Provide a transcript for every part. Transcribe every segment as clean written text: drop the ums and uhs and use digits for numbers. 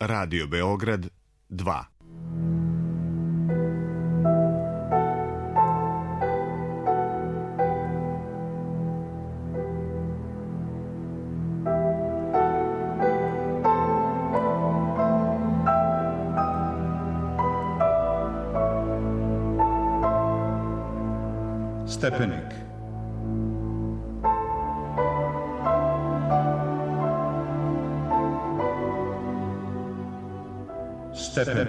Radio Beograd 2. Stepenik. Stepenik.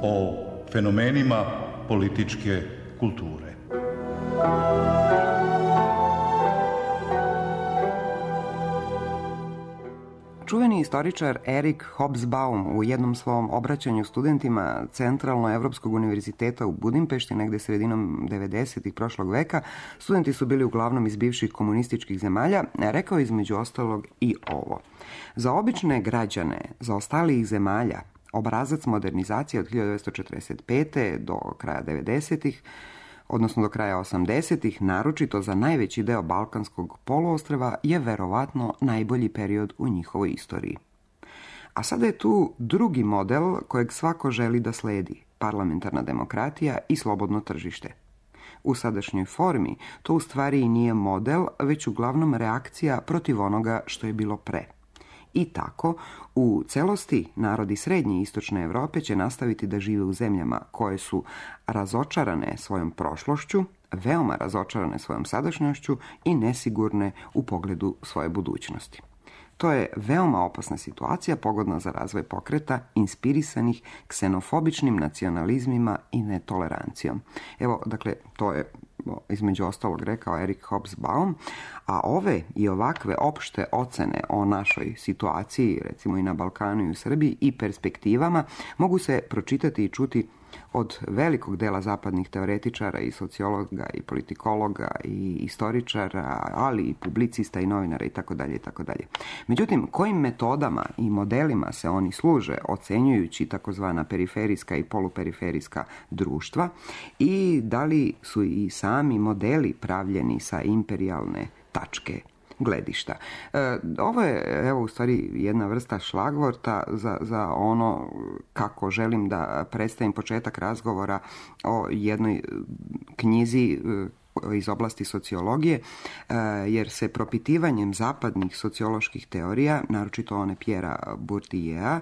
O fenomenima političke kulture. Čuveni istoričar Erik Hobsbawm u jednom svom obraćanju studentima Centralno-Evropskog univerziteta u Budimpešti, negde sredinom 90-ih prošlog veka, studenti su bili uglavnom iz bivših komunističkih zemalja, rekao između ostalog i ovo. Za obične građane zaostalijih zemalja, obrazac modernizacije od 1945. do kraja 90-ih, odnosno do kraja 80-ih, naročito za najveći deo Balkanskog poluostrva, je verovatno najbolji period u njihovoj istoriji. A sada je tu drugi model kojeg svako želi da sledi, parlamentarna demokratija i slobodno tržište. U sadašnjoj formi to u stvari i nije model, već uglavnom reakcija protiv onoga što je bilo pre. I tako, u celosti narodi srednje i istočne Evrope će nastaviti da žive u zemljama koje su razočarane svojom prošlošću, veoma razočarane svojom sadašnjošću i nesigurne u pogledu svoje budućnosti. To je veoma opasna situacija, pogodna za razvoj pokreta, inspirisanih ksenofobičnim nacionalizmima i netolerancijom. Evo, dakle, to je između ostalog rekao Erik Hobsbawm, a ove i ovakve opšte ocene o našoj situaciji, recimo i na Balkanu i u Srbiji, i perspektivama, mogu se pročitati i čuti od velikog dela zapadnih teoretičara i sociologa i politikologa i istoričara, ali i publicista i novinara itd. itd. Međutim, kojim metodama i modelima se oni služe ocenjujući takozvana periferijska i poluperiferijska društva i da li su i sami modeli pravljeni sa imperijalne tačke gledišta. Ovo je, evo, u stvari jedna vrsta šlagvorta za ono kako želim da predstavim početak razgovora o jednoj knjizi iz oblasti sociologije, jer se propitivanjem zapadnih socioloških teorija, naročito one Pierrea Bourdieu'a,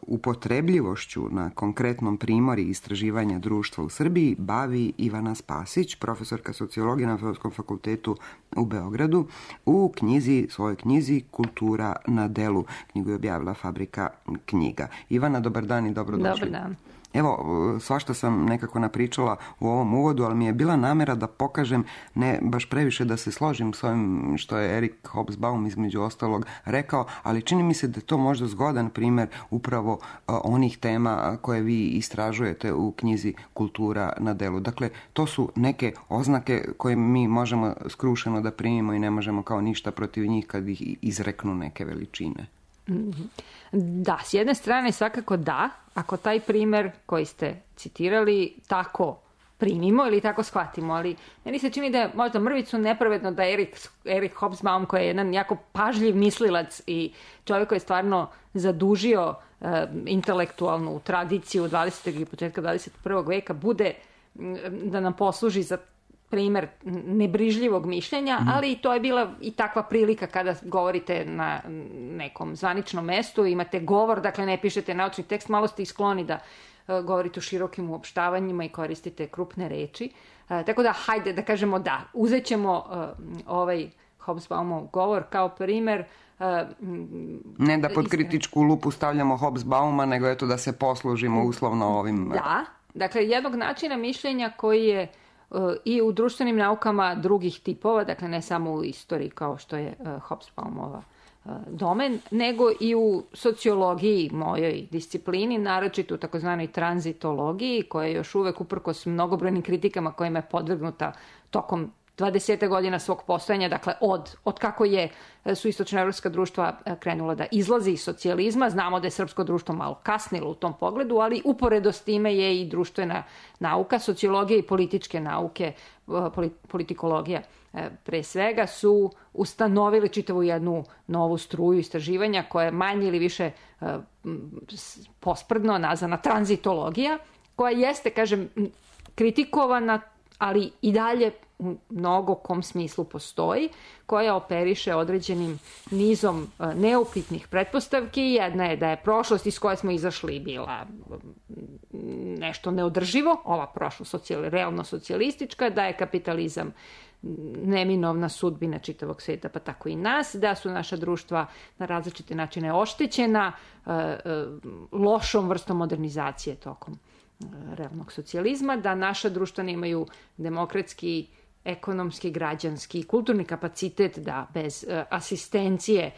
upotrebljivošću na konkretnom primori istraživanja društva u Srbiji bavi Ivana Spasić, profesorka sociologije na Filozofskom fakultetu u Beogradu, u svojoj knjizi Kultura na delu. Knjigu je objavila Fabrika knjiga. Ivana, dobar dan i dobrodošli. Dobar dan. Evo, svašta sam nekako napričala u ovom uvodu, ali mi je bila namera da pokažem, ne baš previše da se složim s ovim što je Erik Hobsbawm između ostalog rekao, ali čini mi se da je to možda zgodan primjer upravo onih tema koje vi istražujete u knjizi Kultura na delu. Dakle, to su neke oznake koje mi možemo skrušeno da primimo i ne možemo kao ništa protiv njih kad ih izreknu neke veličine. Da, s jedne strane svakako da, ako taj primjer koji ste citirali tako primimo ili tako shvatimo, ali meni se čini da je možda mrvicu nepravedno da Erik Hobsbawm, koji je jedan jako pažljiv mislilac i čovjek koji je stvarno zadužio intelektualnu tradiciju 20. i početka 21. veka, bude da nam posluži za primjer nebrižljivog mišljenja, ali to je bila i takva prilika kada govorite na nekom zvaničnom mestu, imate govor, dakle ne pišete naučni tekst, malo ste i skloni da govorite u širokim uopštavanjima i koristite krupne reči. Tako da, hajde da kažemo da, uzet ćemo ovaj Hobsbawmov govor kao primjer. Ne da pod kritičku lupu stavljamo Hobsbawma, nego eto da se poslužimo uslovno ovim. Da, dakle jednog načina mišljenja koji je i u društvenim naukama drugih tipova, dakle ne samo u istoriji kao što je Hobsbawmova domen, nego i u sociologiji, mojoj disciplini, naročito u takozvanoj tranzitologiji, koja je još uvek uprkos mnogobrojnim kritikama kojima je podvrgnuta tokom 20 godina svog postojanja, dakle od kako su istočnoevropska društva krenula da izlazi iz socijalizma. Znamo da je srpsko društvo malo kasnilo u tom pogledu, ali uporedo s time je i društvena nauka, sociologija i političke nauke, politikologija pre svega, su ustanovili čitavu jednu novu struju istraživanja koja je manje ili više posprdno nazvana tranzitologija, koja jeste, kažem, kritikovana, ali i dalje u mnogo kom smislu postoji, koja operiše određenim nizom neupitnih pretpostavki. Jedna je da je prošlost iz koje smo izašli bila nešto neodrživo, ova prošlost realno socijalistička, da je kapitalizam neminovna sudbina čitavog sveta, pa tako i nas, da su naša društva na različite načine oštećena lošom vrstom modernizacije tokom realnog socijalizma, da naša društva nemaju demokratski, ekonomski, građanski i kulturni kapacitet da bez asistencije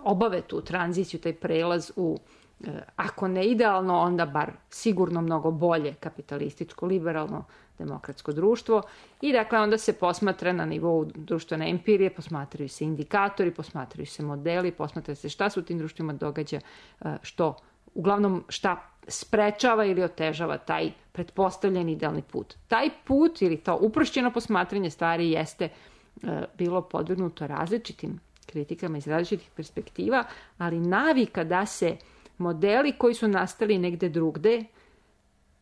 obave tu tranziciju, taj prelaz u, ako ne idealno, onda bar sigurno mnogo bolje kapitalističko, liberalno, demokratsko društvo. I dakle onda se posmatra na nivou društvene empirije, posmatraju se indikatori, posmatraju se modeli, posmatraju se šta se u tim društvima događa, što uglavnom šta sprečava ili otežava taj pretpostavljeni idealni put. Taj put ili to uprošćeno posmatranje stvari jeste bilo podvrgnuto različitim kritikama iz različitih perspektiva, ali navika da se modeli koji su nastali negde drugde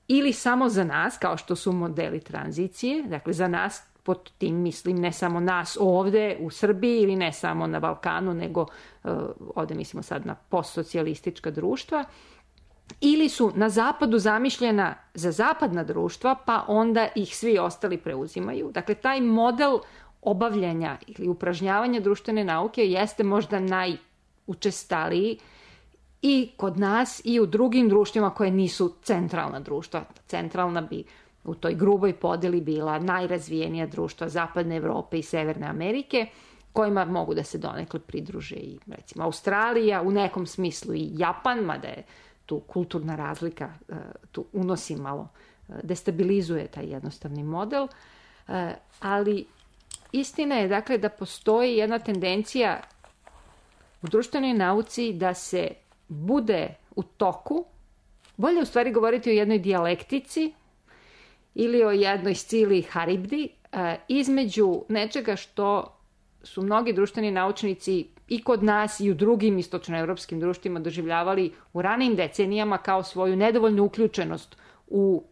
ili samo za nas, kao što su modeli tranzicije, dakle za nas, pod tim mislim ne samo nas ovde u Srbiji ili ne samo na Balkanu, nego ovde mislimo sad na postsocijalistička društva, ili su na zapadu zamišljena za zapadna društva, pa onda ih svi ostali preuzimaju. Dakle, taj model obavljanja ili upražnjavanja društvene nauke jeste možda najučestaliji i kod nas i u drugim društvima koje nisu centralna društva. Centralna bi u toj gruboj podeli bila najrazvijenija društva Zapadne Evrope i Severne Amerike, kojima mogu da se donekle pridruže i recimo Australija, u nekom smislu i Japan, mada je tu kulturna razlika, tu unosi malo, destabilizuje taj jednostavni model, ali istina je dakle da postoji jedna tendencija u društvenoj nauci da se bude u toku, bolje u stvari govoriti o jednoj dijalektici ili o jednoj scili haribdi, između nečega što su mnogi društveni naučnici i kod nas i u drugim istočnoevropskim društvima doživljavali u ranijim decenijama kao svoju nedovoljnu uključenost u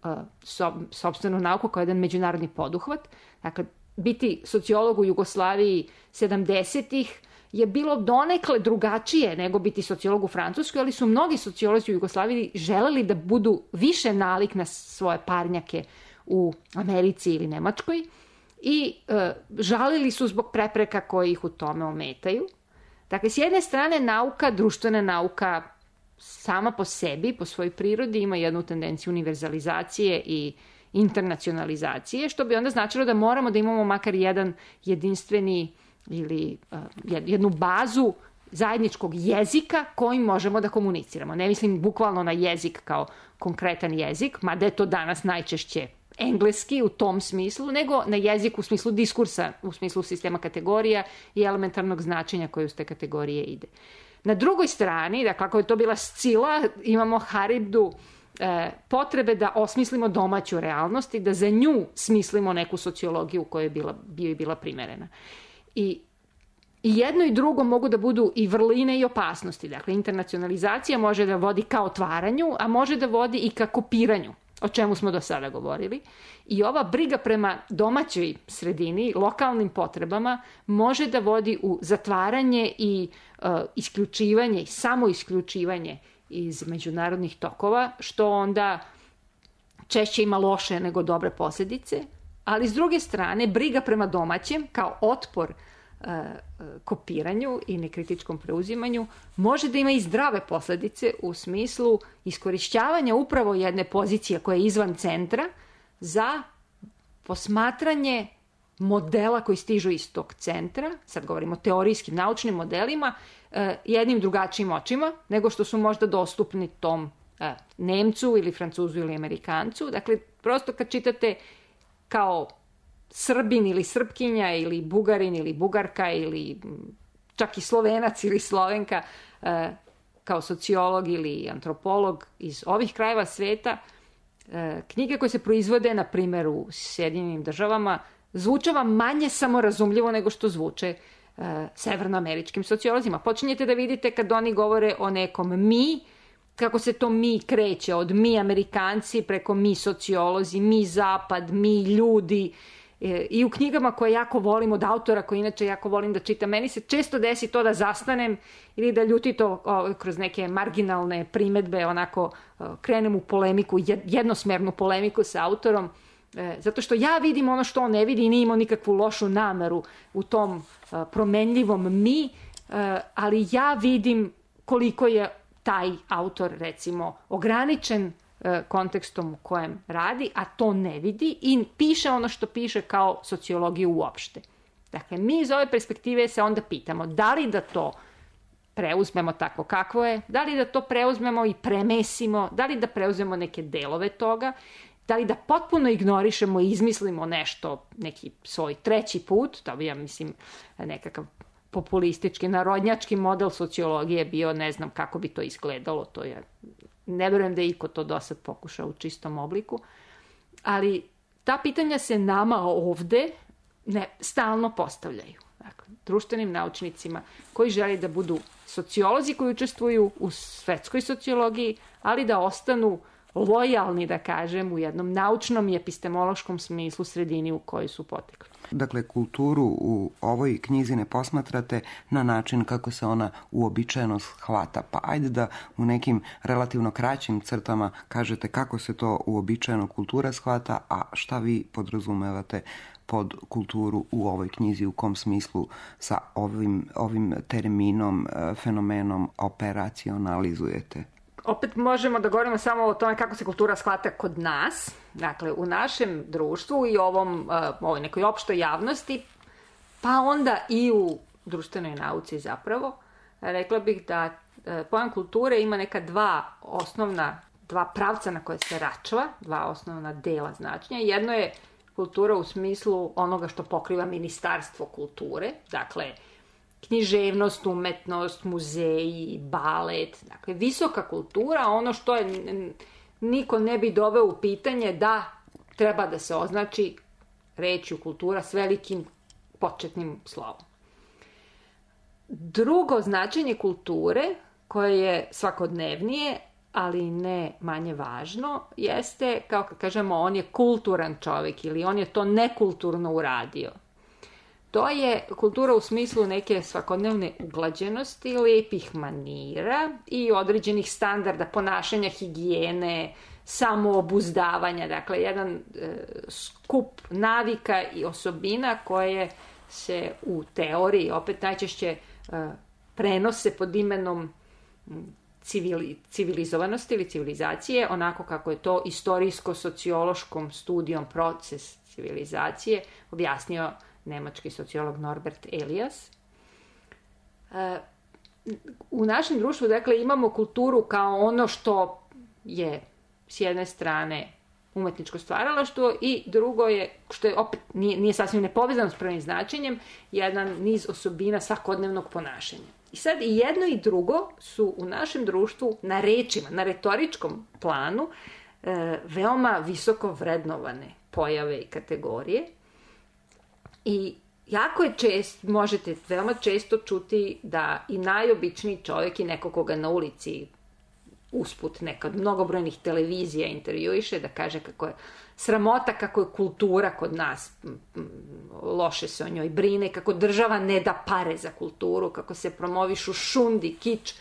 sopstvenu nauku kao jedan međunarodni poduhvat. Dakle, biti sociolog u Jugoslaviji 70-ih je bilo donekle drugačije nego biti sociolog u Francuskoj, ali su mnogi sociolozi u Jugoslaviji želeli da budu više nalik na svoje parnjake u Americi ili Nemačkoj i žalili su zbog prepreka koji ih u tome ometaju. Dakle, s jedne strane nauka, društvena nauka sama po sebi, po svojoj prirodi ima jednu tendenciju univerzalizacije i internacionalizacije, što bi onda značilo da moramo da imamo makar jedan jedinstveni ili jednu bazu zajedničkog jezika kojim možemo da komuniciramo. Ne mislim bukvalno na jezik kao konkretan jezik, mada je to danas najčešće engleski u tom smislu, nego na jezik u smislu diskursa, u smislu sistema kategorija i elementarnog značenja koje uz te kategorije ide. Na drugoj strani, dakle, ako je to bila scila, imamo haribdu potrebe da osmislimo domaću realnost i da za nju smislimo neku sociologiju koja je bila primerena. I jedno i drugo mogu da budu i vrline i opasnosti. Dakle, internacionalizacija može da vodi ka otvaranju, a može da vodi i ka kopiranju, o čemu smo do sada govorili. I ova briga prema domaćoj sredini, lokalnim potrebama, može da vodi u zatvaranje i isključivanje i samoisključivanje iz međunarodnih tokova, što onda češće ima loše nego dobre posljedice. Ali s druge strane, briga prema domaćem kao otpor kopiranju i nekritičkom preuzimanju može da ima i zdrave posljedice u smislu iskorišćavanja upravo jedne pozicije koja je izvan centra za posmatranje modela koji stižu iz tog centra, sad govorimo o teorijskim naučnim modelima, jednim drugačijim očima nego što su možda dostupni tom Nemcu ili Francuzu ili Amerikancu. Dakle, prosto kad čitate kao Srbin ili Srpkinja ili Bugarin ili Bugarka ili čak i Slovenac ili Slovenka kao sociolog ili antropolog iz ovih krajeva sveta, knjige koje se proizvode, na primjer, u Sjedinjenim državama, zvuče vam manje samorazumljivo nego što zvuče severnoameričkim sociolozima. Počinjete da vidite kad oni govore o nekom mi, kako se to mi kreće od mi Amerikanci preko mi sociolozi, mi zapad, mi ljudi. I u knjigama koje jako volim od autora koji inače jako volim da čitam, meni se često desi to da zastanem ili da ljutito kroz neke marginalne primetbe onako krenem u polemiku, jednosmernu polemiku sa autorom, zato što ja vidim ono što on ne vidi i nije imao nikakvu lošu nameru u tom promenljivom mi, ali ja vidim koliko je taj autor, recimo, ograničen kontekstom u kojem radi, a to ne vidi i piše ono što piše kao sociologiju uopšte. Dakle, mi iz ove perspektive se onda pitamo da li da to preuzmemo tako kako je, da li da to preuzmemo i premesimo, da li da preuzmemo neke delove toga, da li da potpuno ignorišemo i izmislimo nešto, neki svoj treći put, to bi, ja mislim, nekakav populistički, narodnjački model sociologije bio, ne znam kako bi to izgledalo, to je, ne verujem da je iko to do sad pokušao u čistom obliku, ali ta pitanja se nama ovde stalno postavljaju. Dakle, društvenim naučnicima koji žele da budu sociolozi koji učestvuju u svetskoj sociologiji, ali da ostanu lojalni, da kažem, u jednom naučnom i epistemološkom smislu sredini u kojoj su potekli. Dakle, kulturu u ovoj knjizi ne posmatrate na način kako se ona uobičajeno shvata. Pa ajde da u nekim relativno kraćim crtama kažete kako se to uobičajeno kultura shvata, a šta vi podrazumevate pod kulturu u ovoj knjizi, u kom smislu sa ovim terminom, fenomenom operacionalizujete? Opet možemo da govorimo samo o tome kako se kultura shvata kod nas, dakle u našem društvu i ovoj nekoj opštoj javnosti, pa onda i u društvenoj nauci zapravo. Rekla bih da pojam kulture ima neka dva pravca na koje se račva, dva osnovna dela značenja. Jedno je kultura u smislu onoga što pokriva Ministarstvo kulture, dakle književnost, umetnost, muzeji, balet, dakle visoka kultura, ono što niko ne bi doveo u pitanje da treba da se označi rečju kultura s velikim početnim slovom. Drugo značenje kulture, koje je svakodnevnije, ali ne manje važno, jeste, kao kad kažemo, on je kulturan čovjek ili on je to nekulturno uradio. To je kultura u smislu neke svakodnevne uglađenosti, lepih manira i određenih standarda ponašanja, higijene, samoobuzdavanja. Dakle, jedan skup navika i osobina koje se u teoriji opet najčešće prenose pod imenom civilizovanosti ili civilizacije, onako kako je to istorijsko-sociološkom studijom proces civilizacije objasnio nemački sociolog Norbert Elias. U našem društvu, dakle, imamo kulturu kao ono što je s jedne strane umetničko stvaralaštvo i drugo je, što je opet nije sasvim nepovezano s prvim značenjem, jedan niz osobina svakodnevnog ponašanja. I sad i jedno i drugo su u našem društvu na rečima, na retoričkom planu veoma visoko vrednovane pojave i kategorije. I jako je možete veoma često čuti da i najobičniji čovjek i neko koga na ulici usput neka od mnogobrojnih televizija intervjuiše, da kaže kako je sramota, kako je kultura kod nas, loše se o njoj brine, kako država ne da pare za kulturu, kako se promovišu šundi, kič.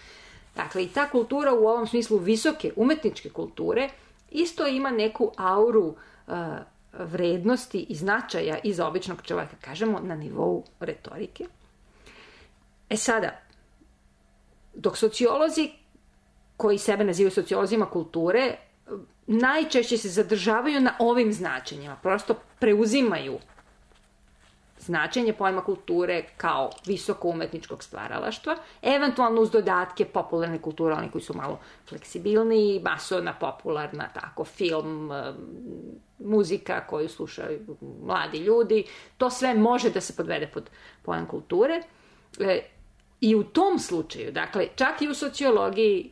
Dakle, i ta kultura u ovom smislu visoke umetničke kulture isto ima neku auru vrednosti i značaja i za običnog čovjeka, kažemo, na nivou retorike. Sada, dok sociolozi koji sebe nazivaju sociolozima kulture, najčešće se zadržavaju na ovim značenjima, prosto preuzimaju značenje pojma kulture kao visoko umetničkog stvaralaštva, eventualno uz dodatke popularne kulture, oni koji su malo fleksibilniji, masovna, popularna, tako, film, muzika koju slušaju mladi ljudi, to sve može da se podvede pod pojam kulture. I u tom slučaju, dakle, čak i u sociologiji,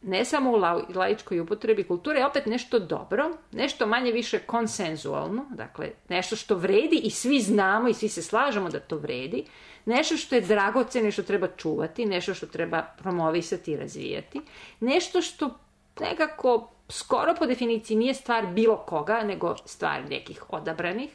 ne samo u laičkoj upotrebi, kultura je opet nešto dobro, nešto manje više konsenzualno, dakle, nešto što vredi i svi znamo i svi se slažemo da to vredi, nešto što je dragoceno i što treba čuvati, nešto što treba promovisati i razvijati, nešto što nekako skoro po definiciji nije stvar bilo koga, nego stvar nekih odabranih,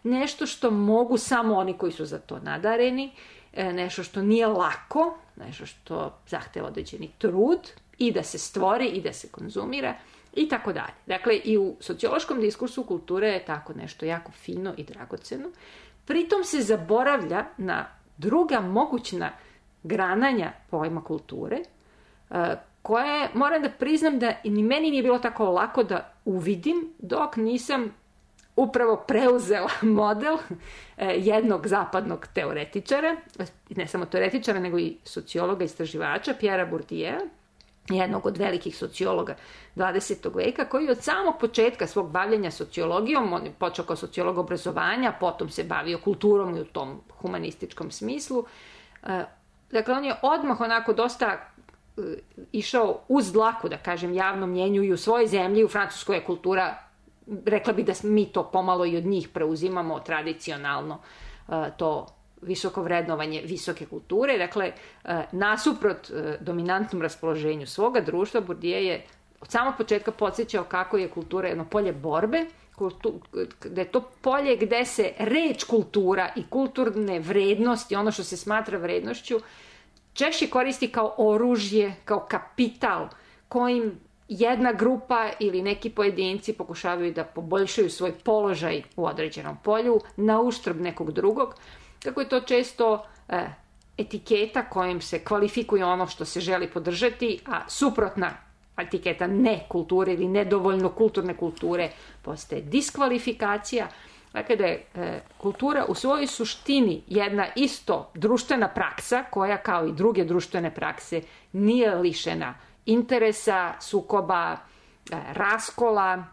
nešto što mogu samo oni koji su za to nadareni, nešto što nije lako, nešto što zahteva određeni trud i da se stvori i da se konzumira i tako dalje. Dakle, i u sociološkom diskursu kultura je tako nešto jako fino i dragoceno. Pritom se zaboravlja na druga mogućna grananja pojma kulture, koje, moram da priznam da ni meni nije bilo tako lako da uvidim dok nisam upravo preuzela model jednog zapadnog teoretičara, ne samo teoretičara, nego i sociologa, istraživača, Pierre Bourdieu, jednog od velikih sociologa 20. veka, koji od samog početka svog bavljenja sociologijom, on je počeo kao sociolog obrazovanja, potom se bavio kulturom i u tom humanističkom smislu. Dakle, on je odmah onako dosta išao uz dlaku, da kažem, javnom mjenju i u svojoj zemlji. U Francuskoj je kultura, rekla bi da mi to pomalo i od njih preuzimamo tradicionalno, to visoko vrednovanje visoke kulture. Dakle, nasuprot dominantnom raspoloženju svoga društva, Bourdieu je od samog početka podsjećao kako je kultura jedno polje borbe, da je to polje gde se reč kultura i kulturne vrednosti, ono što se smatra vrednošću, češće koristi kao oružje, kao kapital kojim jedna grupa ili neki pojedinci pokušavaju da poboljšaju svoj položaj u određenom polju na uštrb nekog drugog. Kako je to često etiketa kojim se kvalifikuje ono što se želi podržati, a suprotna etiketa nekulture ili nedovoljno kulturne kulture postaje diskvalifikacija. Dakle, da je kultura u svojoj suštini jedna isto društvena praksa koja, kao i druge društvene prakse, nije lišena interesa, sukoba, raskola,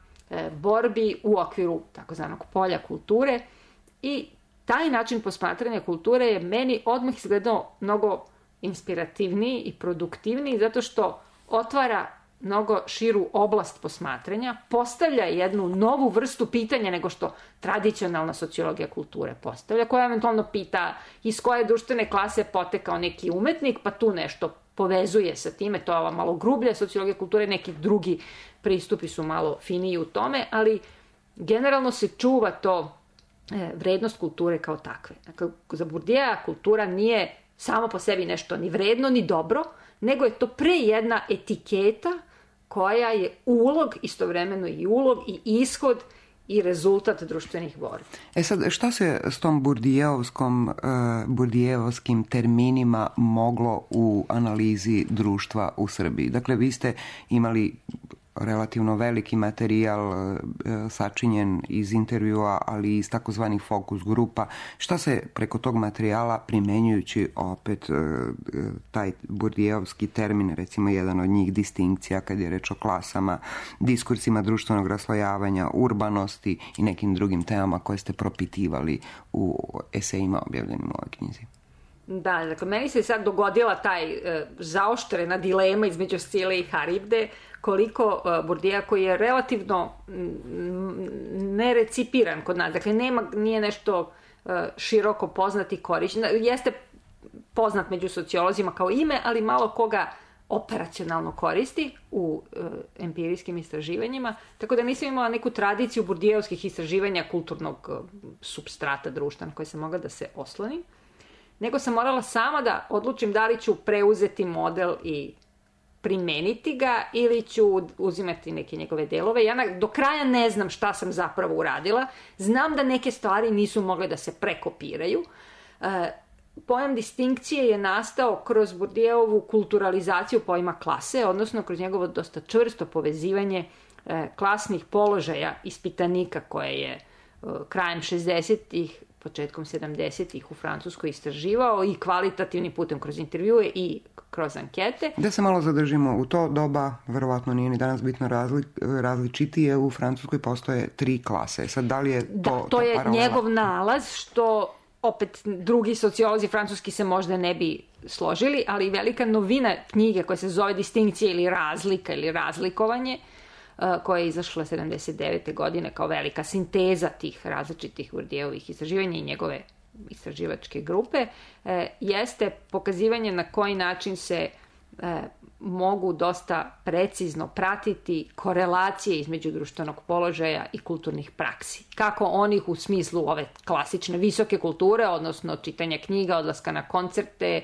borbi u okviru takozvanog polja kulture. I taj način posmatranja kulture je meni odmah izgledao mnogo inspirativniji i produktivniji, zato što otvara mnogo širu oblast posmatranja, postavlja jednu novu vrstu pitanja nego što tradicionalna sociologija kulture postavlja, koja eventualno pita iz koje društvene klase potekao neki umetnik, pa tu nešto povezuje sa time, to je ova malo grublja sociologija kulture, neki drugi pristupi su malo finiji u tome, ali generalno se čuva to vrednost kulture kao takve. Dakle, za Bourdieu kultura nije samo po sebi nešto ni vredno, ni dobro, nego je to pre jedna etiketa koja je ulog, istovremeno i ulog i ishod i rezultat društvenih borbi. Sad, šta se s tom Bourdieuovskim terminima moglo u analizi društva u Srbiji? Dakle, vi ste imali relativno veliki materijal sačinjen iz intervjua, ali i iz takozvanih fokus grupa. Šta se preko tog materijala, primenjujući opet taj Bourdieuovski termin, recimo jedan od njih, distinkcija kad je reč o klasama, diskursima društvenog raslojavanja, urbanosti i nekim drugim temama koje ste propitivali u esejima objavljenim u ovoj knjizi? Da, dakle, meni se sad dogodila taj zaoštrena dilema između Scile i Haribde, koliko Bourdieu, koji je relativno nerecipiran kod nas, dakle nije nešto široko poznat i korišten, jeste poznat među sociolozima kao ime, ali malo koga operacionalno koristi u empirijskim istraživanjima, tako da nisam imala neku tradiciju bourdieuovskih istraživanja kulturnog supstrata društva na koje sam mogla da se oslonim, nego sam morala sama da odlučim da li ću preuzeti model i primeniti ga ili ću uzimati neke njegove delove. Ja do kraja ne znam šta sam zapravo uradila. Znam da neke stvari nisu mogle da se prekopiraju. Pojam distinkcije je nastao kroz Bourdieuovu kulturalizaciju pojma klase, odnosno kroz njegovo dosta čvrsto povezivanje klasnih položaja ispitanika koje je krajem 60-ih početkom 70-ih u Francuskoj istraživao i kvalitativnim putem kroz intervjue i kroz ankete. Da se malo zadržimo, u to doba, verovatno nije ni danas bitno različitije, u Francuskoj postoje 3 klase. Sad, da li je to... To je njegov nalaz, što opet drugi sociolozi francuski se možda ne bi složili, ali velika novina knjige koja se zove Distinkcija ili razlika ili razlikovanje, koja je izašla 79. godine kao velika sinteza tih različitih Bourdieuovih istraživanja i njegove istraživačke grupe, jeste pokazivanje na koji način se mogu dosta precizno pratiti korelacije između društvenog položaja i kulturnih praksi. Kako onih u smislu ove klasične visoke kulture, odnosno čitanja knjiga, odlaska na koncerte,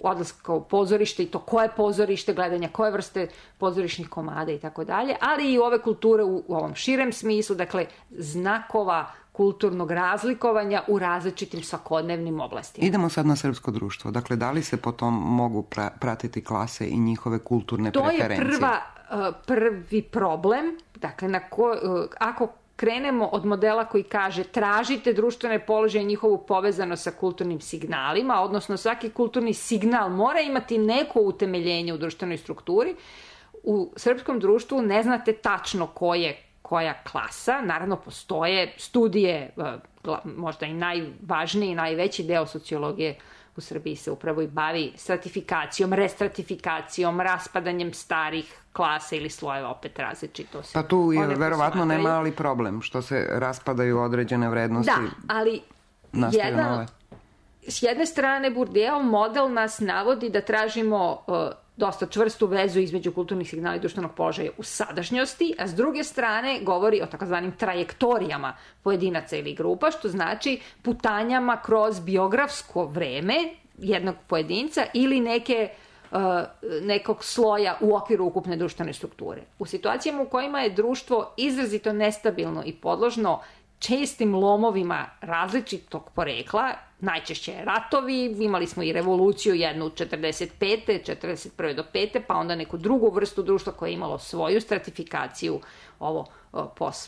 odlaska u pozorište i to koje pozorište, gledanja koje vrste pozorišnih komada i tako dalje, ali i ove kulture u ovom širem smislu, dakle znakova kulturnog razlikovanja u različitim svakodnevnim oblastima. Idemo sad na srpsko društvo. Dakle, da li se potom mogu pratiti klase i njihove kulturne preferencije? To je prvi problem. Dakle, ako krenemo od modela koji kaže tražite društvene položaje i njihovu povezanost sa kulturnim signalima, odnosno svaki kulturni signal mora imati neko utemeljenje u društvenoj strukturi, u srpskom društvu ne znate tačno koja klasa. Naravno, postoje studije, možda i najvažniji i najveći deo sociologije u Srbiji se upravo i bavi stratifikacijom, restratifikacijom, raspadanjem starih klasa ili slojeva, opet različito. Pa tu je verovatno ne mali problem što se raspadaju određene vrednosti. Da, ali s jedne strane Bourdieu model nas navodi da tražimo dosta čvrstu vezu između kulturnih signala i društvenog položaja u sadašnjosti, a s druge strane govori o takozvanim trajektorijama pojedinaca ili grupa, što znači putanjama kroz biografsko vreme jednog pojedinca ili nekog sloja u okviru ukupne društvene strukture. U situacijama u kojima je društvo izrazito nestabilno i podložno čestim lomovima različitog porekla, najčešće ratovi, imali smo i revoluciju jednu 45. 41. do 5. pa onda neku drugu vrstu društva koje je imalo svoju stratifikaciju, ovo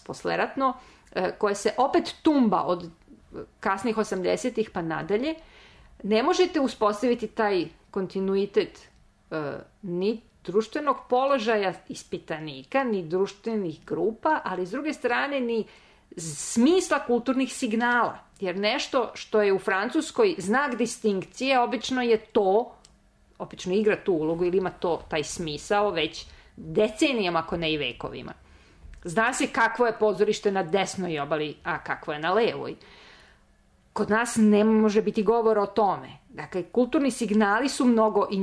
posleratno, koje se opet tumba od kasnih 80-ih pa nadalje. Ne možete uspostaviti taj kontinuitet ni društvenog položaja ispitanika, ni društvenih grupa, ali s druge strane ni smisla kulturnih signala. Jer nešto što je u Francuskoj znak distinkcije, obično igra tu ulogu ili ima taj smisao već decenijama, ako ne i vekovima. Zna se kakvo je pozorište na desnoj obali, a kakvo je na levoj. Kod nas ne može biti govora o tome. Dakle, kulturni signali su mnogo i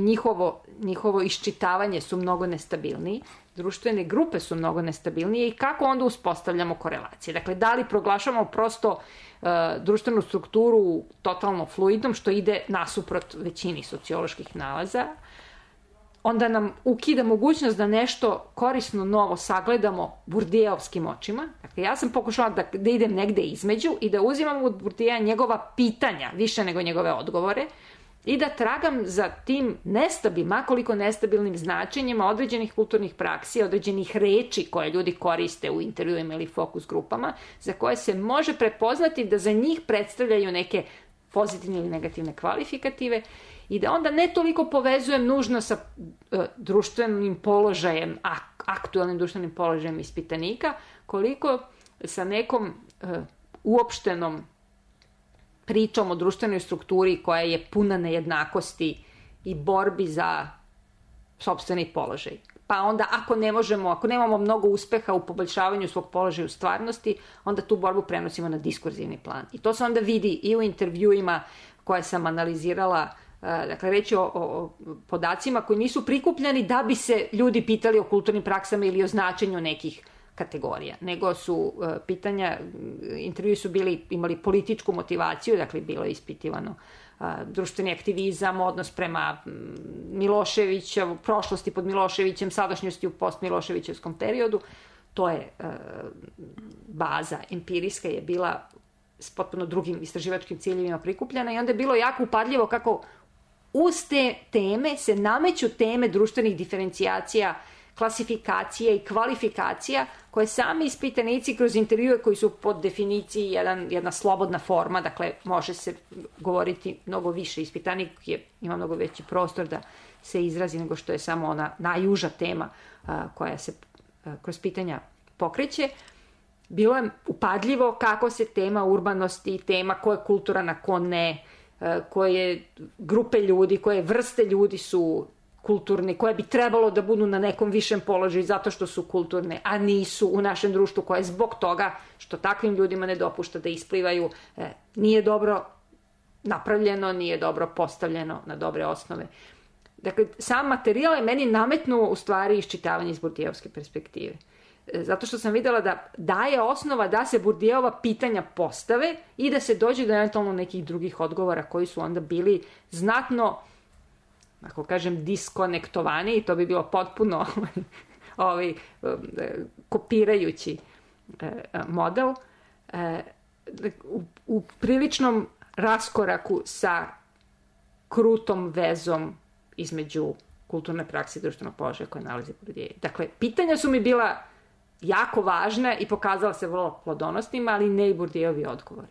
njihovo iščitavanje su mnogo nestabilniji, društvene grupe su mnogo nestabilnije i kako onda uspostavljamo korelacije? Dakle, da li proglašavamo prosto društvenu strukturu totalno fluidnom, što ide nasuprot većini socioloških nalaza, onda nam ukida mogućnost da nešto korisno novo sagledamo Bourdieuovskim očima. Dakle, ja sam pokušala da idem negde između i da uzimam od Bourdieuva njegova pitanja više nego njegove odgovore i da tragam za tim koliko nestabilnim značenjima određenih kulturnih praksi, određenih reči koje ljudi koriste u intervjuima ili fokus grupama, za koje se može prepoznati da za njih predstavljaju neke pozitivne ili negativne kvalifikative i da onda ne toliko povezujem nužno sa društvenim položajem, aktualnim društvenim položajem ispitanika, koliko sa nekom uopštenom pričom o društvenoj strukturi koja je puna nejednakosti i borbi za sopstveni položaj. Pa onda ako nemamo mnogo uspeha u poboljšavanju svog položaja u stvarnosti, onda tu borbu prenosimo na diskurzivni plan. I to se onda vidi i u intervjuima koje sam analizirala, dakle reći o podacima koji nisu prikupljeni da bi se ljudi pitali o kulturnim praksama ili o značenju nekih kategorija, nego su intervjui su imali političku motivaciju, dakle bilo je ispitivano društveni aktivizam, odnos prema Miloševićevu, prošlosti pod Miloševićem, sadašnjosti u post-Miloševićevskom periodu. To je baza empirijska je bila s potpuno drugim istraživačkim ciljevima prikupljena i onda je bilo jako upadljivo kako uz te teme se nameću teme društvenih diferencijacija, klasifikacija i kvalifikacija koje sami ispitanici kroz intervjue koji su po definiciji jedna slobodna forma, dakle može se govoriti mnogo više, ispitanik ima mnogo veći prostor da se izrazi nego što je samo ona najuža tema koja se kroz pitanja pokreće. Bilo je upadljivo kako se tema urbanosti, tema ko je kulturan, a ko ne, koje grupe ljudi, koje vrste ljudi su kulturni, koje bi trebalo da budu na nekom višem položaju zato što su kulturne, a nisu u našem društvu, koje zbog toga što takvim ljudima ne dopušta da isplivaju, nije dobro napravljeno, nije dobro postavljeno na dobre osnove. Dakle, sam materijal je meni nametnuo u stvari iščitavanje iz Burdijevske perspektive. Zato što sam videla da daje osnova da se Burdijeva pitanja postave i da se dođe do eventualno nekih drugih odgovora koji su onda bili znatno, ako kažem, diskonektovani, i to bi bilo potpuno kopirajući model, u priličnom raskoraku sa krutom vezom između kulturne prakse i društvenog položaja koje nalazi Bourdieu. Dakle, pitanja su mi bila jako važna i pokazala se vrlo plodonosnima, ali ne i Bourdieovi odgovori.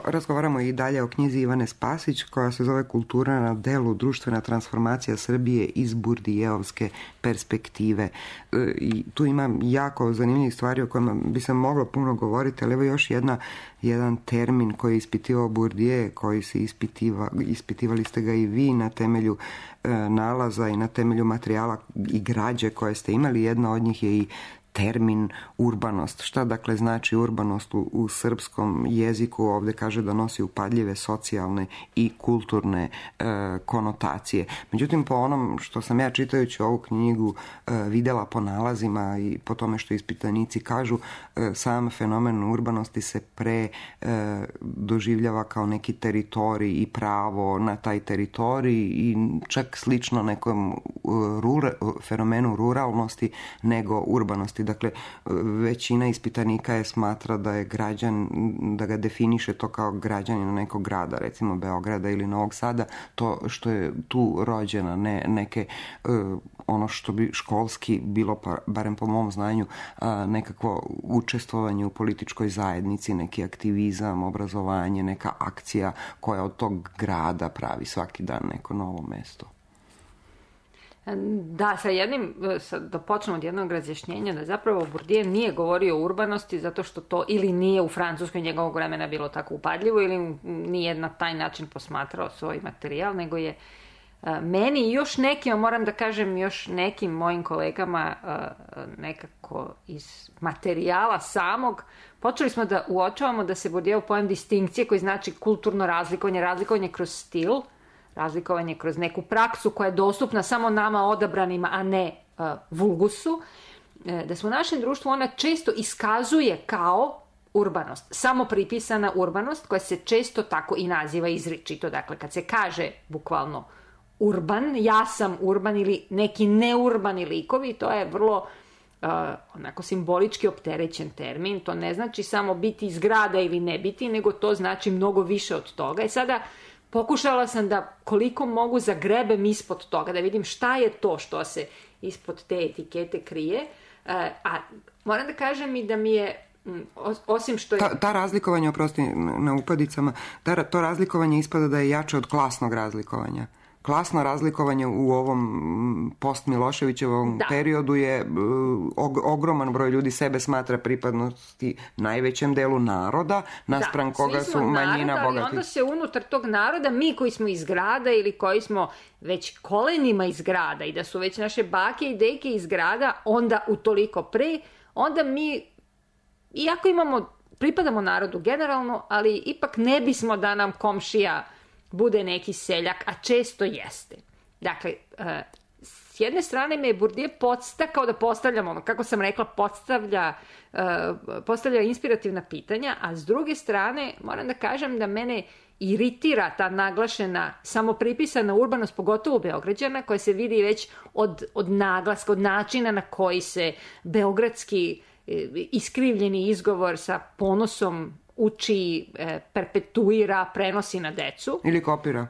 Razgovaramo i dalje o knjizi Ivane Spasić koja se zove Kultura na delu, društvena transformacija Srbije iz Burdijevske perspektive. I tu ima jako zanimljivih stvari o kojima bi se moglo puno govoriti, ali evo još jedan termin koji je ispitivao Bourdieu, koji se ispitivali ste ga i vi na temelju nalaza i na temelju materijala i građe koje ste imali. Jedna od njih je i termin urbanost. Šta dakle znači urbanost u srpskom jeziku? Ovdje kaže da nosi upadljive socijalne i kulturne konotacije. Međutim, po onom što sam ja čitajući ovu knjigu videla po nalazima i po tome što ispitanici kažu, sam fenomen urbanosti se doživljava kao neki teritorij i pravo na taj teritorij i čak slično nekom fenomenu ruralnosti nego urbanosti. Dakle, većina ispitanika je smatra da je građan, da ga definiše to kao građanin nekog grada, recimo Beograda ili Novog Sada, to što je tu rođena, ne neke ono što bi školski bilo, barem po mom znanju, nekakvo učestvovanje u političkoj zajednici, neki aktivizam, obrazovanje, neka akcija koja od tog grada pravi svaki dan neko novo mesto. Da, da počnemo od jednog razjašnjenja, da zapravo Bourdieu nije govorio o urbanosti zato što to ili nije u Francuskoj njegovog vremena bilo tako upadljivo ili nije na taj način posmatrao svoj materijal, nego je meni i još nekima, moram da kažem, još nekim mojim kolegama nekako iz materijala samog, počeli smo da uočavamo da se Bourdieu pojam distinkcije koji znači kulturno razlikovanje kroz stil, razlikovanje kroz neku praksu koja je dostupna samo nama odabranima, a ne vulgusu, da se u našem društvu ona često iskazuje kao urbanost, samo pripisana urbanost koja se često tako i naziva izričito. Dakle, kad se kaže bukvalno urban, ja sam urban ili neki neurbani likovi, to je vrlo onako simbolički opterećen termin. To ne znači samo biti iz grada ili ne biti, nego to znači mnogo više od toga. I sada pokušala sam da koliko mogu zagrebem ispod toga, da vidim šta je to što se ispod te etikete krije. A moram da kažem i da mi je, osim što je... Ta razlikovanja, oprosti na upadicama, to razlikovanje ispada da je jače od klasnog razlikovanja. Klasno razlikovanje u ovom post-Miloševićevom periodu je ogroman broj ljudi sebe smatra pripadnosti najvećem delu naroda, naspram koga su manjina bogati. Ali onda se unutar tog naroda, mi koji smo iz grada ili koji smo već kolenima iz grada i da su već naše bake i deke iz grada, onda utoliko pre, onda mi, iako pripadamo narodu generalno, ali ipak ne bismo da nam komšija bude neki seljak, a često jeste. Dakle, s jedne strane me je Bourdieu podstakao da postavljam, kako sam rekla, postavlja inspirativna pitanja, a s druge strane moram da kažem da mene iritira ta naglašena, samopripisana urbanost, pogotovo Beograđana, koja se vidi već od naglaska, od načina na koji se beogradski iskrivljeni izgovor sa ponosom uči, perpetuira, prenosi na decu. Ili kopira,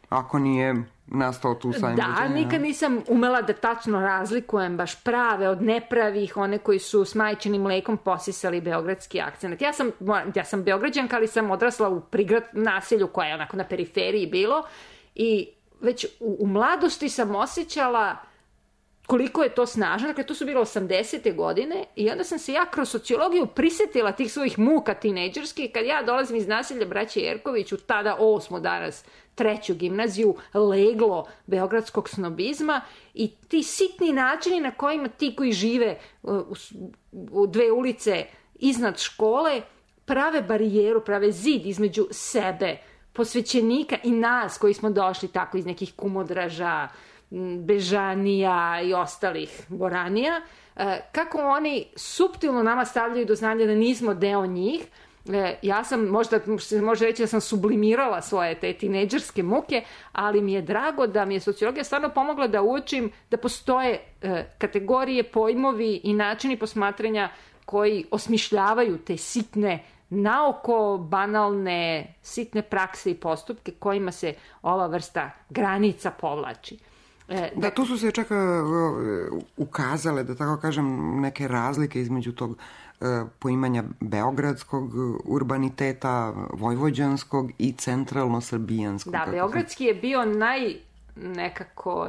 ako nije nastao tu sajm. Da, nikad nisam umela da tačno razlikujem baš prave od nepravih, one koji su s majčinim mlekom posisali beogradski akcent. Ja sam Beograđanka, ali sam odrasla u naselju koje je onako na periferiji bilo i već u mladosti sam osjećala koliko je to snažno. Dakle, to su bilo 80. godine i onda sam se ja kroz sociologiju prisetila tih svojih muka tinejdžerskih kad ja dolazim iz naselja braće Jerković u tada 8. danas 3. gimnaziju, leglo beogradskog snobizma i ti sitni načini na kojima ti koji žive u 2 ulice iznad škole prave barijeru, prave zid između sebe, posvećenika i nas koji smo došli tako iz nekih Kumodraža, Bežanija i ostalih Boranija, kako oni suptilno nama stavljaju do znanja da nismo deo njih. Ja sam, možda se može reći da sam sublimirala svoje te tinejdžerske muke, ali mi je drago da mi je sociologija stvarno pomogla da uočim da postoje kategorije, pojmovi i načini posmatranja koji osmišljavaju te sitne, naoko banalne, sitne prakse i postupke kojima se ova vrsta granica povlači. Da, tu su se čak ukazale, da tako kažem, neke razlike između tog poimanja beogradskog urbaniteta, vojvođanskog i centralno-srbijanskog. Da, beogradski je bio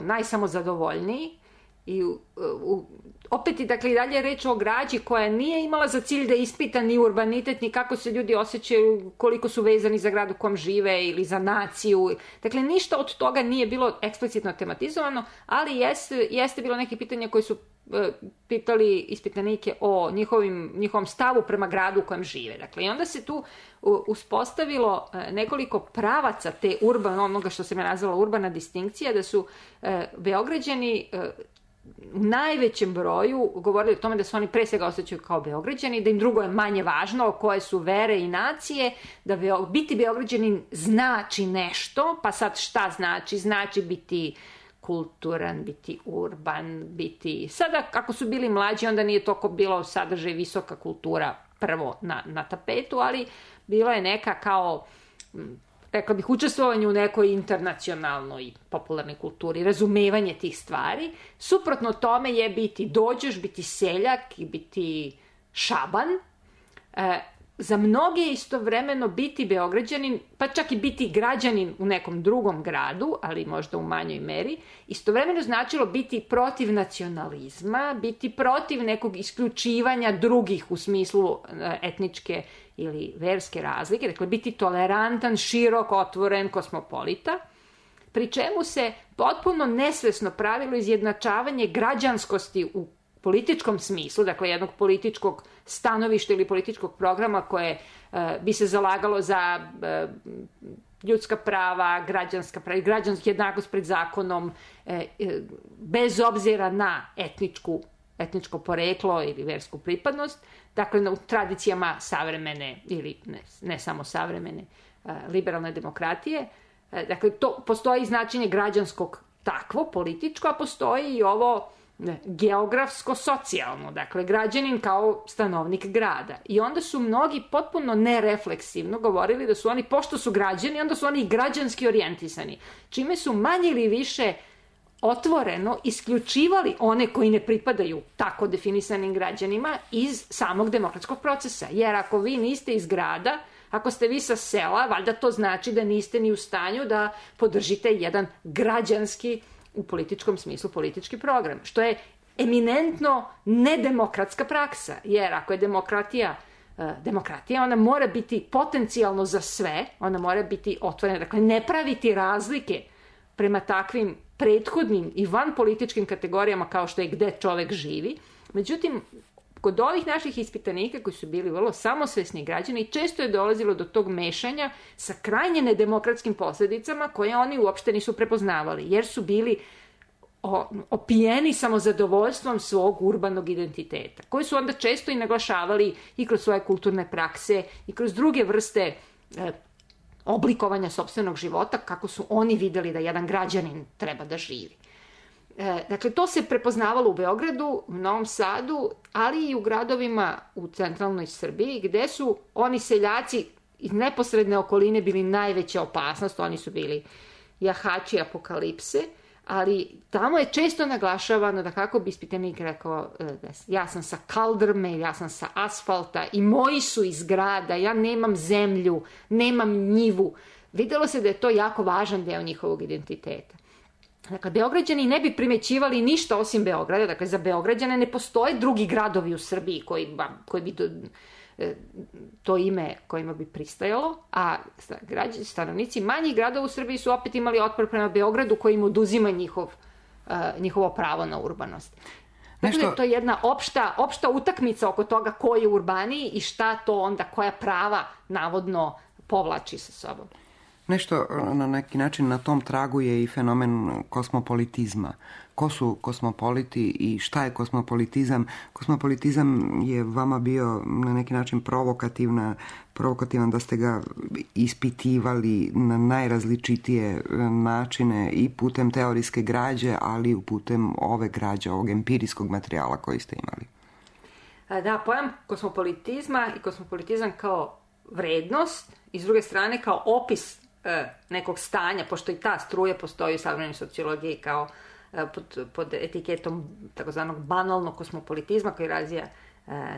najsamozadovoljniji i opet i dakle i dalje je reč o građi koja nije imala za cilj da ispita ni urbanitet, ni kako se ljudi osjećaju, koliko su vezani za grad u kom žive ili za naciju. Dakle, ništa od toga nije bilo eksplicitno tematizovano, ali jeste bilo neke pitanja koje su pitali ispitanike o njihovom stavu prema gradu u kojem žive. Dakle, i onda se tu uspostavilo nekoliko pravaca te onoga što se me nazvala urbana distinkcija, da su Beograđani u najvećem broju govorili o tome da se oni pre svega osjećaju kao Beograđani, da im drugo je manje važno, koje su vere i nacije, da biti Beograđanin znači nešto, pa sad šta znači? Znači biti kulturan, biti urban, biti... Sada, ako su bili mlađi, onda nije toliko bilo sadržaj visoka kultura prvo na tapetu, ali bila je neka kao, rekla bih, učestvovanje u nekoj internacionalnoj popularnoj kulturi, razumevanje tih stvari. Suprotno tome je biti dođoš, biti seljak i biti šaban. Za mnoge je istovremeno biti Beograđanin, pa čak i biti građanin u nekom drugom gradu, ali možda u manjoj meri, istovremeno značilo biti protiv nacionalizma, biti protiv nekog isključivanja drugih u smislu etničke ili verske razlike, dakle biti tolerantan, širok, otvoren, kosmopolita, pri čemu se potpuno nesvesno pravilo izjednačavanje građanskosti u političkom smislu, dakle jednog političkog stanovišta ili političkog programa koje bi se zalagalo za ljudska prava, građanska jednakost pred zakonom, bez obzira na etničko poreklo ili versku pripadnost, dakle u tradicijama savremene ili ne samo savremene liberalne demokratije. Dakle, to postoji značenje građanskog takvo, političko, a postoji i ovo geografsko-socijalno, dakle građanin kao stanovnik grada. I onda su mnogi potpuno nerefleksivno govorili da su oni, pošto su građani, onda su oni i građanski orijentisani, čime su manje ili više otvoreno isključivali one koji ne pripadaju tako definisanim građanima iz samog demokratskog procesa. Jer ako vi niste iz grada, ako ste vi sa sela, valjda to znači da niste ni u stanju da podržite jedan građanski, u političkom smislu, politički program, što je eminentno nedemokratska praksa, jer ako je demokratija, ona mora biti potencijalno za sve, ona mora biti otvorena, dakle ne praviti razlike prema takvim prethodnim i vanpolitičkim kategorijama kao što je gde čovek živi. Međutim, kod ovih naših ispitanika koji su bili vrlo samosvesni građani, često je dolazilo do tog mešanja sa krajnje nedemokratskim posledicama koje oni uopšte nisu prepoznavali, jer su bili opijeni samozadovoljstvom svog urbanog identiteta, koji su onda često i naglašavali i kroz svoje kulturne prakse i kroz druge vrste oblikovanja sopstvenog života, kako su oni videli da jedan građanin treba da živi. Dakle, to se prepoznavalo u Beogradu, u Novom Sadu, ali i u gradovima u centralnoj Srbiji, gde su oni seljaci iz neposredne okoline bili najveća opasnost, oni su bili jahači apokalipse, ali tamo je često naglašavano da, kako bi ispitanik rekao, ja sam sa kaldrme, ja sam sa asfalta i moji su iz grada, ja nemam zemlju, nemam njivu. Videlo se da je to jako važan deo njihovog identiteta. Dakle, Beograđani ne bi primećivali ništa osim Beograda, dakle za Beograđane ne postoje drugi gradovi u Srbiji koji bi to ime kojima bi pristajalo, a stanovnici manjih gradova u Srbiji su opet imali otpor prema Beogradu koji im oduzima njihovo pravo na urbanost. Dakle, to je jedna opšta utakmica oko toga ko je urbaniji i šta to onda, koja prava navodno povlači sa sobom. Nešto na neki način na tom tragu je i fenomen kosmopolitizma. Ko su kosmopoliti i šta je kosmopolitizam? Kosmopolitizam je vama bio na neki način provokativan da ste ga ispitivali na najrazličitije načine i putem teorijske građe, ali i putem ove građe, ovog empirijskog materijala koji ste imali. Da, pojam kosmopolitizma i kosmopolitizam kao vrednost i s druge strane kao opis nekog stanja, pošto i ta struja postoji u savremenoj sociologiji kao pod etiketom takozvanog banalnog kosmopolitizma koji razvija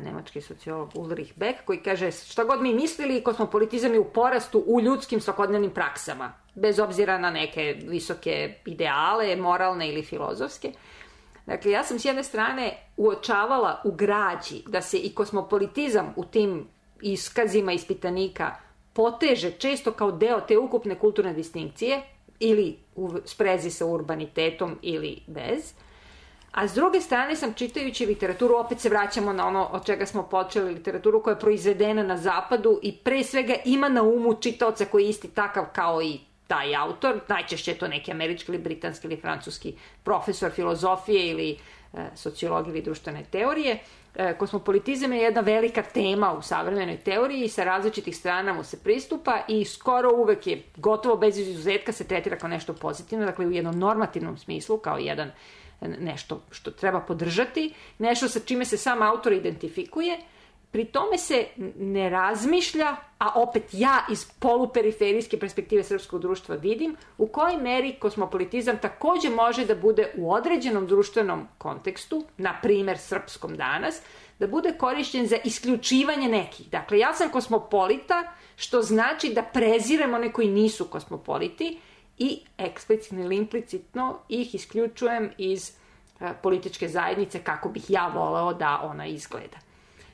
nemački sociolog Ulrich Beck, koji kaže šta god mi mislili, kosmopolitizam je u porastu u ljudskim svakodnevnim praksama, bez obzira na neke visoke ideale, moralne ili filozofske. Dakle, ja sam s jedne strane uočavala u građi da se i kosmopolitizam u tim iskazima ispitanika poteže često kao deo te ukupne kulturne distinkcije ili u sprezi sa urbanitetom ili bez. A s druge strane sam čitajući literaturu, opet se vraćamo na ono od čega smo počeli, literaturu koja je proizvedena na zapadu i pre svega ima na umu čitaoca koji je isti takav kao i taj autor, najčešće je to neki američki ili britanski ili francuski profesor filozofije ili sociologije ili društvene teorije. Kosmopolitizam je jedna velika tema u savremenoj teoriji i sa različitih strana mu se pristupa i skoro uvek je, gotovo bez izuzetka, se tretira kao nešto pozitivno, dakle u jednom normativnom smislu, kao nešto što treba podržati, nešto sa čime se sam autor identifikuje. Pri tome se ne razmišlja, a opet ja iz poluperiferijske perspektive srpskog društva vidim, u kojoj meri kosmopolitizam takođe može da bude u određenom društvenom kontekstu, na primer srpskom danas, da bude korišćen za isključivanje nekih. Dakle, ja sam kosmopolita, što znači da prezirem one koji nisu kosmopoliti i eksplicitno ili implicitno ih isključujem iz političke zajednice kako bih ja voleo da ona izgleda.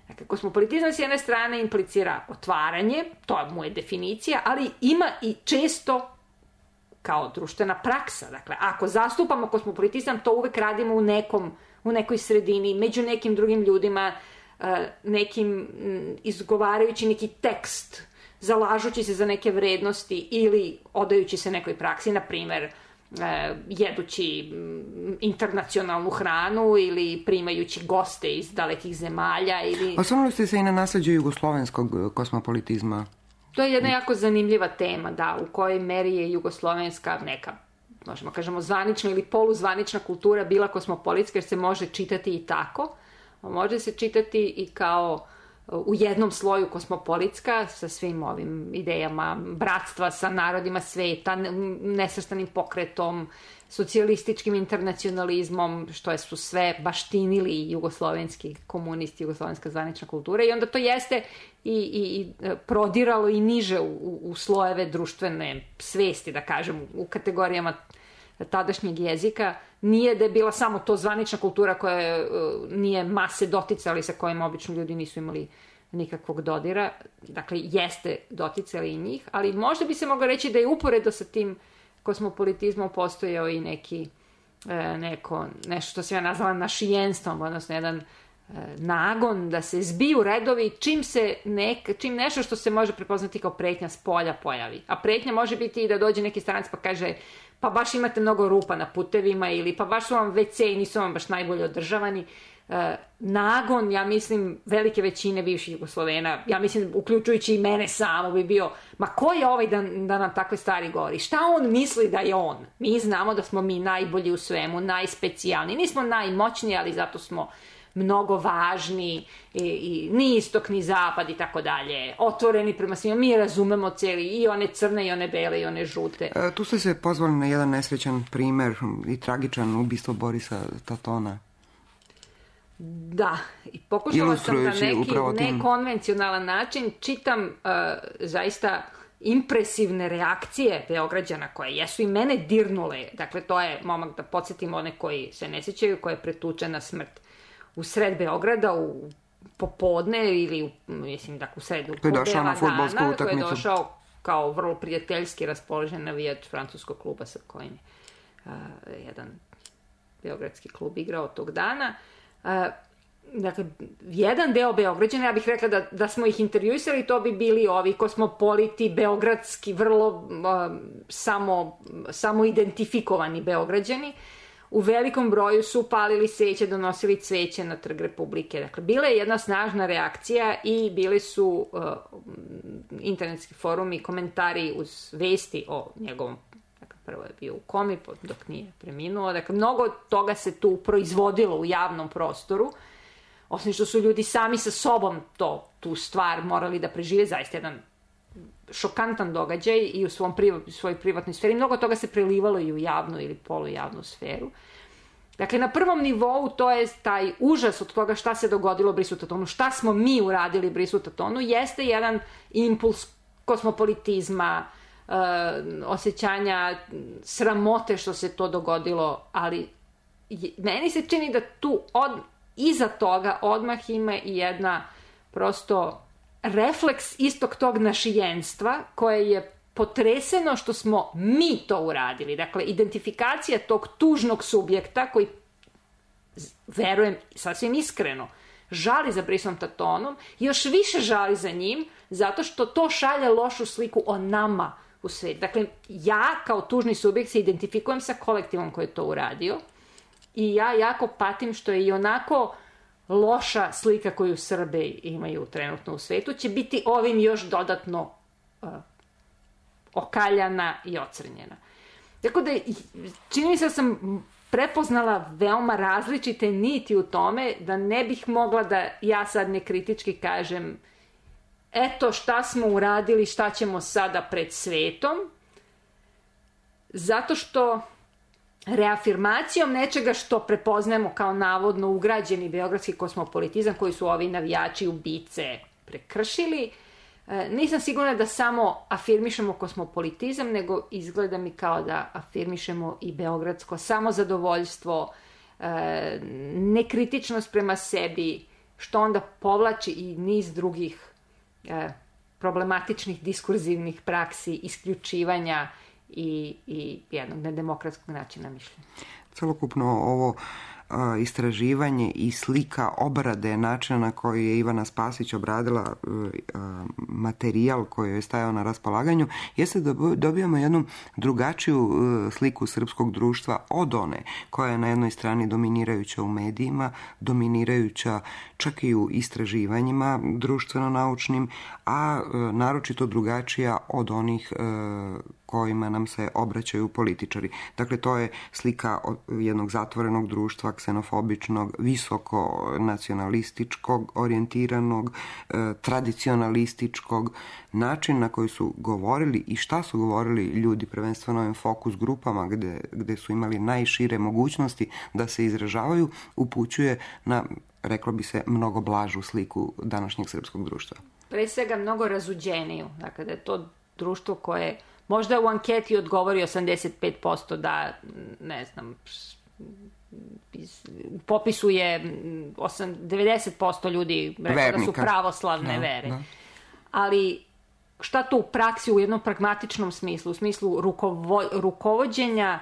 Dakle, kosmopolitizam s jedne strane implicira otvaranje, to mu je definicija, ali ima i često kao društvena praksa. Dakle, ako zastupamo kosmopolitizam, to uvek radimo u nekoj sredini, među nekim drugim ljudima, izgovarajući neki tekst, zalažući se za neke vrednosti ili odajući se nekoj praksi, na primer, jedući internacionalnu hranu ili primajući goste iz dalekih zemalja. Osvrnuli ste se i na nasleđe jugoslovenskog kosmopolitizma. To je jedna jako zanimljiva tema, da, u kojoj meri je jugoslovenska neka, možemo kažemo, zvanična ili poluzvanična kultura bila kosmopolitska, jer se može čitati i tako, a može se čitati i kao u jednom sloju kosmopolitska, sa svim ovim idejama bratstva sa narodima sveta, nesvrstanim pokretom, socijalističkim internacionalizmom, što su sve baštinili jugoslovenski komunisti, jugoslovenska zvanična kultura, i onda to jeste i prodiralo i niže u slojeve društvene svesti, da kažem, u kategorijama tadašnjeg jezika. Nije da je bila samo to zvanična kultura koja nije mase doticali, sa kojim obično ljudi nisu imali nikakvog dodira. Dakle, jeste doticali i njih, ali možda bi se moglo reći da je uporedo sa tim kosmopolitizmom postojao i nešto što sam ja nazvala našijenstvom, odnosno jedan nagon da se zbiju redovi čim nešto što se može prepoznati kao pretnja s polja pojavi. A pretnja može biti i da dođe neki stranac pa kaže pa baš imate mnogo rupa na putevima ili pa baš su vam WC i nisu vam baš najbolje održavani. Nagon, ja mislim, velike većine bivših Jugoslovena, ja mislim, uključujući i mene samo, bi bio, ma ko je ovaj da nam takve stvari govori? Šta on misli da je on? Mi znamo da smo mi najbolji u svemu, najspecijalniji. Nismo najmoćniji, ali zato smo mnogo važni, i ni istok, ni zapad i tako dalje, otvoreni prema svima, mi razumemo cijeli, i one crne, i one bele, i one žute. Tu ste se pozvali na jedan nesrećan primer i tragičan ubistvo Borisa Tatona. Da, i pokušala sam na neki nekonvencionalan način, čitam zaista impresivne reakcije Beograđana koje jesu i mene dirnule. Dakle, to je momak, da podsjetim one koji se ne sjećaju, koja je pretučen na smrt u sred Beograda u popodne ili u sredu podela dana, koji je došao kao vrlo prijateljski raspoložen navijač francuskog kluba sa kojim jedan beogradski klub igrao tog dana. Dakle, jedan deo Beograđana, ja bih rekla da smo ih intervjuisali, to bi bili ovi kosmopoliti, beogradski, vrlo samo identifikovani Beograđani. U velikom broju su palili sveće, donosili cveće na Trg Republike. Dakle, bila je jedna snažna reakcija i bili su internetski forumi, komentari uz vesti o njegovom, dakle, prvo je bio u komi dok nije preminuo. Dakle, mnogo toga se tu proizvodilo u javnom prostoru, osim što su ljudi sami sa sobom tu stvar morali da prežive, zaista jedan šokantan događaj i u svojoj privatnoj sferi. Mnogo toga se prelivalo i u javnu ili polujavnu sferu. Dakle, na prvom nivou to je taj užas od toga šta se dogodilo Brisu Tatonu, šta smo mi uradili Brisu Tatonu, jeste jedan impuls kosmopolitizma, osjećanja sramote što se to dogodilo, ali meni se čini da tu iza toga odmah ima i jedna prosto refleks istog tog našijenstva koje je potreseno što smo mi to uradili. Dakle, identifikacija tog tužnog subjekta koji verujem, sasvim iskreno, žali za Brisom Tatonom, još više žali za njim, zato što to šalje lošu sliku o nama u svijetu. Dakle, ja kao tužni subjekt se identifikujem sa kolektivom koji je to uradio i ja jako patim što je i onako loša slika koju Srbi imaju trenutno u svijetu, će biti ovim još dodatno okaljana i ocrnjena. Tako da, čini mi se da sam prepoznala veoma različite niti u tome, da ne bih mogla da ja sad nekritički kažem eto šta smo uradili, šta ćemo sada pred svetom, zato što reafirmacijom nečega što prepoznajemo kao navodno ugrađeni beogradski kosmopolitizam koji su ovi navijači ubice prekršili, nisam sigurna da samo afirmišemo kosmopolitizam, nego izgleda mi kao da afirmišemo i beogradsko samozadovoljstvo, nekritičnost prema sebi, što onda povlači i niz drugih problematičnih diskurzivnih praksi, isključivanja i jednog nedemokratskog načina mišljenja. Celokupno ovo istraživanje i slika obrade načina na koji je Ivana Spasić obradila materijal koji je stajao na raspolaganju, jeste da dobijamo jednu drugačiju sliku srpskog društva od one koja je na jednoj strani dominirajuća u medijima, dominirajuća čak i u istraživanjima društveno-naučnim, a naročito drugačija od onih kojima nam se obraćaju političari. Dakle, to je slika jednog zatvorenog društva, ksenofobičnog, visoko nacionalističkog, orijentiranog, tradicionalističkog, način na koji su govorili i šta su govorili ljudi, prvenstveno ovim fokus grupama gde su imali najšire mogućnosti da se izražavaju, upućuje na, reklo bi se, mnogo blažu sliku današnjeg srpskog društva. Pre svega mnogo razuđeniju. Dakle, da je to društvo koje možda u anketi odgovori 85% da, ne znam, u popisu je 90% ljudi rekao da su pravoslavne vere. Da. Ali šta to u praksi u jednom pragmatičnom smislu, u smislu rukovođenja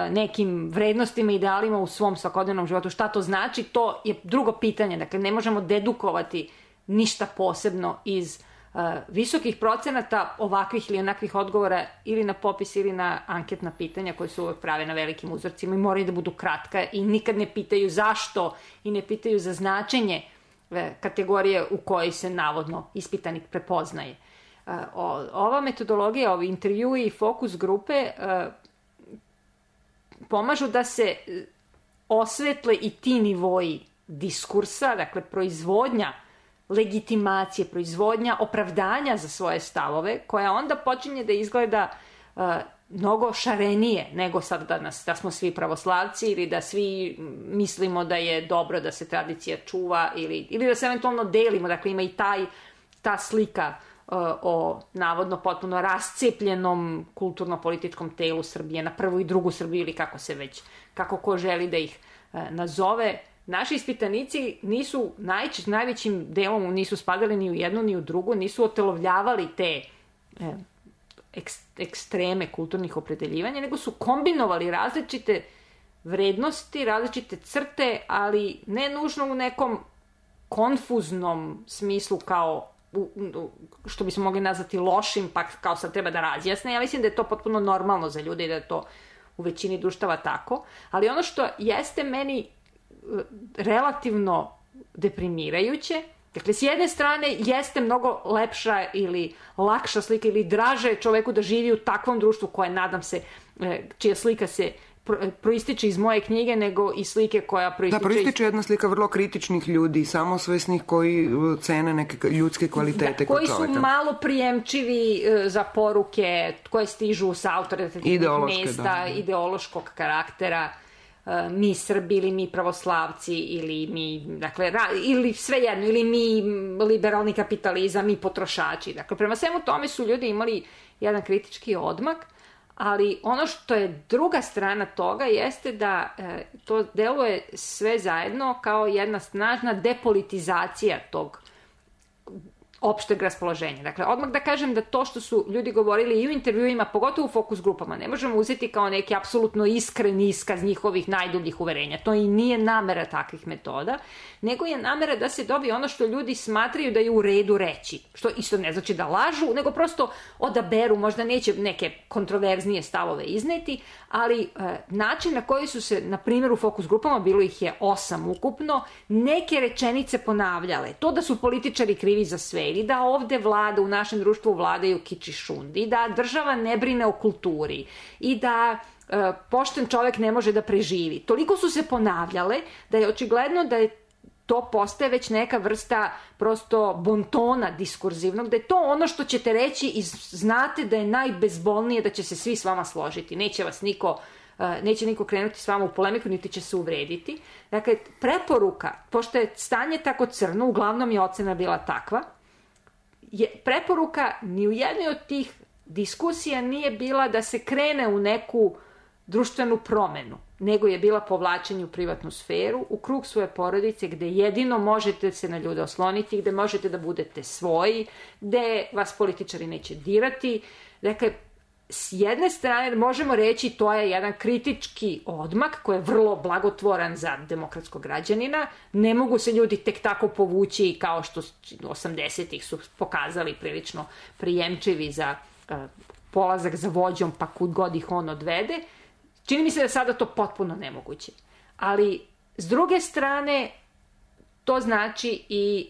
nekim vrednostima i idealima u svom svakodnevnom životu, šta to znači, to je drugo pitanje. Dakle, ne možemo dedukovati ništa posebno iz visokih procenata ovakvih ili onakvih odgovora ili na popis ili na anketna pitanja koje su uvek prave na velikim uzorcima i moraju da budu kratka i nikad ne pitaju zašto i ne pitaju za značenje kategorije u kojoj se navodno ispitanik prepoznaje. Ova metodologija, ovi intervjui i fokus grupe pomažu da se osvetle i ti nivoji diskursa, dakle proizvodnja legitimacije, proizvodnja opravdanja za svoje stavove, koja onda počinje da izgleda mnogo šarenije nego sad da smo svi pravoslavci ili da svi mislimo da je dobro da se tradicija čuva ili da se eventualno delimo. Dakle, ima i ta slika o navodno potpuno rascepljenom kulturno-političkom telu Srbije na prvu i drugu Srbiju ili kako ko želi da ih nazove. Naši ispitanici nisu najvećim delom nisu spadali ni u jednu ni u drugu, nisu otelovljavali te ekstreme kulturnih opredeljivanja, nego su kombinovali različite vrednosti, različite crte, ali ne nužno u nekom konfuznom smislu kao što bismo mogli nazvati lošim, pa kao sad treba da razjasne. Ja mislim da je to potpuno normalno za ljude i da je to u većini društava tako, ali ono što jeste meni relativno deprimirajuće, dakle, s jedne strane jeste mnogo lepša ili lakša slika ili draže je čoveku da živi u takvom društvu koje, nadam se, čija slika se proističe iz moje knjige, nego i slike koja proističe jedna slika vrlo kritičnih ljudi, samosvesnih koji cene neke ljudske kvalitete kod čoveka. Koji su malo prijemčivi za poruke koje stižu sa autoritativnih mesta, ideološkog karaktera, mi Srbi ili mi pravoslavci ili mi, dakle, ili svejedno, ili mi liberalni kapitalizam, mi potrošači. Dakle, prema svemu tome su ljudi imali jedan kritički odmak, ali ono što je druga strana toga jeste da to deluje sve zajedno kao jedna snažna depolitizacija tog opšteg raspoloženja. Dakle, odmah da kažem da to što su ljudi govorili i u intervjuima, pogotovo u fokus grupama, ne možemo uzeti kao neki apsolutno iskren iskaz njihovih najdubljih uverenja. To i nije namera takvih metoda, nego je namera da se dobije ono što ljudi smatraju da je u redu reći. Što isto ne znači da lažu, nego prosto odaberu, možda neće neke kontroverznije stavove izneti, ali način na koji su se, na primjer u fokus grupama, bilo ih je 8 ukupno, neke rečenice ponavljale. To da su političari krivi za sve, ili da ovde vlada, u našem društvu vladaju kič i šund, i da država ne brine o kulturi, i da pošten čovek ne može da preživi. Toliko su se ponavljale da je očigledno da je to postaje već neka vrsta prosto bontona diskurzivnog, da je to ono što ćete reći i znate da je najbezbolnije, da će se svi s vama složiti. Neće niko krenuti s vama u polemiku, niti će se uvrediti. Dakle, preporuka, pošto je stanje tako crno, uglavnom je ocena bila takva, preporuka ni u jednoj od tih diskusija nije bila da se krene u neku društvenu promenu, nego je bila povlačenje u privatnu sferu, u krug svoje porodice, gde jedino možete se na ljude osloniti, gde možete da budete svoji, gde vas političari neće dirati. Dakle, s jedne strane možemo reći to je jedan kritički odmak koji je vrlo blagotvoran za demokratskog građanina. Ne mogu se ljudi tek tako povući kao što 80-ih su pokazali prilično prijemčivi za polazak za vođom pa kud god ih on odvede. Čini mi se da je sada to potpuno nemoguće. Ali s druge strane to znači i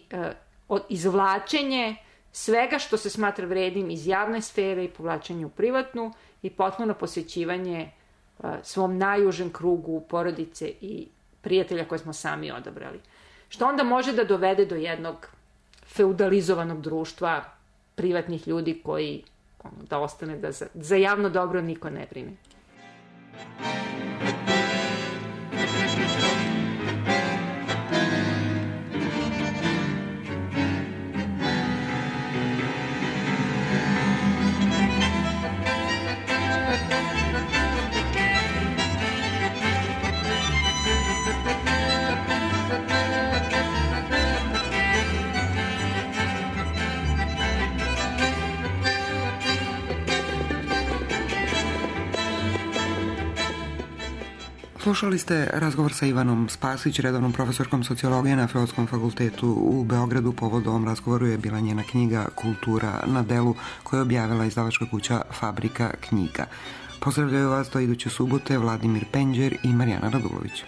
izvlačenje svega što se smatra vrednim iz javne sfere i povlačenje u privatnu i potpuno posvećivanje svom najužem krugu porodice i prijatelja koje smo sami odabrali. Što onda može da dovede do jednog feudalizovanog društva privatnih ljudi koji da ostane da za javno dobro niko ne brine. Slušali ste razgovor sa Ivanom Spasić, redovnom profesorkom sociologije na Filozofskom fakultetu u Beogradu. Povod ovom razgovoru je bila njena knjiga Kultura na delu, koju je objavila izdavačka kuća Fabrika knjiga. Pozdravljaju vas do iduće subote Vladimir Penđer i Marijana Radulović.